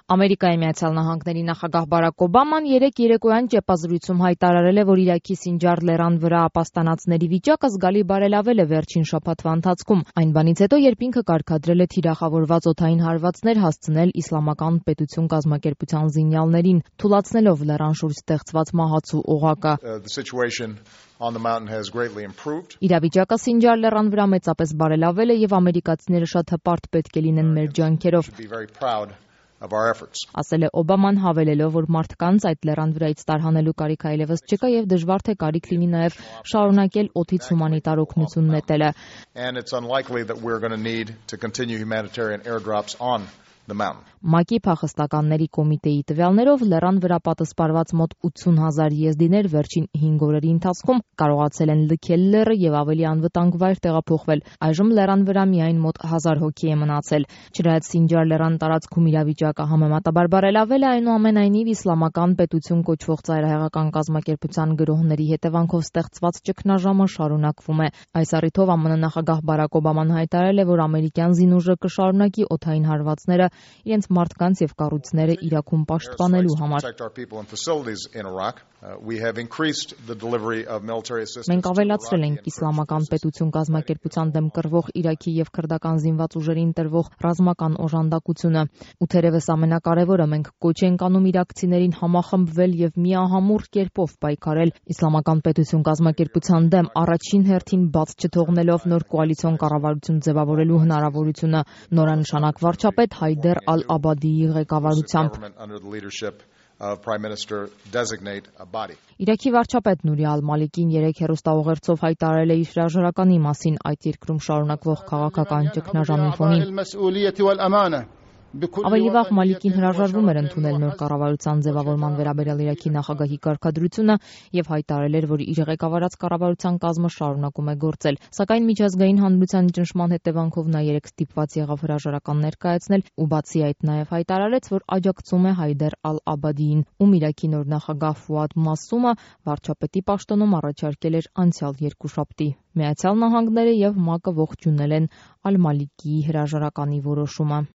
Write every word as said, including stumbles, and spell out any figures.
Ամերիկայի Միացյալ Նահանգների նախագահ Բարաք Օբաման երեկ երեկոյան ճեպազրույցում հայտարարել է, որ Իրաքի Սինջար լեռան վրա ապաստանածների վիճակը զգալի բարելավել է վերջին շաբաթվա ընթացքում, այն բանից հետո, երբ ինքը կարգադրել է թիրախավորված օդային հարվածներ հասցնել Իսլամական պետություն կազմակերպության զինյալներին, թուլացնելով լեռան շուրջ ստեղծված մահացու օղակը։ Իրավիճակը Սինջար լեռան վրա մեծապես բարելավել է եւ ամերիկացիները շատ հպարտ պետք է լինեն մեր ջանքերով, ասել է Օբաման, հավելելով, որ մարդկանց այդ լեռան վրայից տարհանելու կարիք այլևս չկա եւ դժվար թե կարիք լինի նաեւ շարունակել օդից հումանիտար օգնություն նետելը։ ՄԱԿ-ի փախստականների կոմիտեի տվյալներով լեռան վրա պատսպարված մոտ ութսուն հազար եզդիներ վերջին հինգ օրերի ընթացքում կարողացել են լքել լեռը եւ ավելի անվտանգ վայր տեղափոխվել։ Այժմ լեռան վրա միայն մոտ հազար հոգի է մնացել։ Չնայած Սինջար լեռան տարածքում իրավիճակը համեմատաբար բարելավել է, այնուամենայնիվ Իսլամական պետություն կոչվող ծայրահեղական կազմակերպության գրոհների հետևանքով ստեղծված ճգնաժամը շարունակվում է։ Այս առիթով ԱՄՆ նախագահ Բարաք Օբաման հայտարարել է, որ ամերիկյան զինուժը կշարունակի օդային հարվածները իրենց մարդկանց եւ կառույցները Իրաքում պաշտպանելու համար։ Մենք ավելացրել ենք Իսլամական պետություն կազմակերպության դեմ կռվող Իրաքի եւ քրդական զինված ուժերին տրվող ռազմական օժանդակությունը։ Ու թերևս ամենակարևորը, մենք կոչ ենք անում իրաքցիներին համախմբվել եւ միահամուռ կերպով պայքարել Իսլամական պետություն կազմակերպության դեմ, առաջին հերթին բաց չթողնելով նոր կոալիցիոն կառավարություն ձևավորելու հնարավորությունը, նորանշանակ վարչապետ Հայդեր ալ-Աբադիի ղեկավարությամբ։ Իրաքի վարչապետ Նուրի ալ-Մալիկին երեկ հեռուստաուղերձով հայտարարել է իր հրաժարականի մասին այդ երկրում շարունակվող քաղաքական ճգնաժամի ֆոնին։ Ավելի վաղ Մալիկին հրաժարվում էր ընդունել նոր կառավարության ձևավորման վերաբերյալ Իրաքի նախագահի կարգադրությունը եւ հայտարարել էր, որ իր ղեկավարած կառավարության կազմը շարունակում է գործել, սակայն միջազգային հանրության ճնշման հետևանքով նա երեկ ստիպված եղավ հրաժարական ներկայացնել ու բացի այդ նաեւ հայտարարեց, որ աջակցում է Հայդեր ալ-Աբադիին, ում Իրաքի նոր նախագահ Ֆուադ Մասումը վարչապետի պաշտոնում առաջարկել էր անցյալ երկուշաբթի։ Միացյալ Նահանգները եւ ՄԱԿ-ը ողջունել են ալ-Մալիկիի հրաժարականի որոշումը։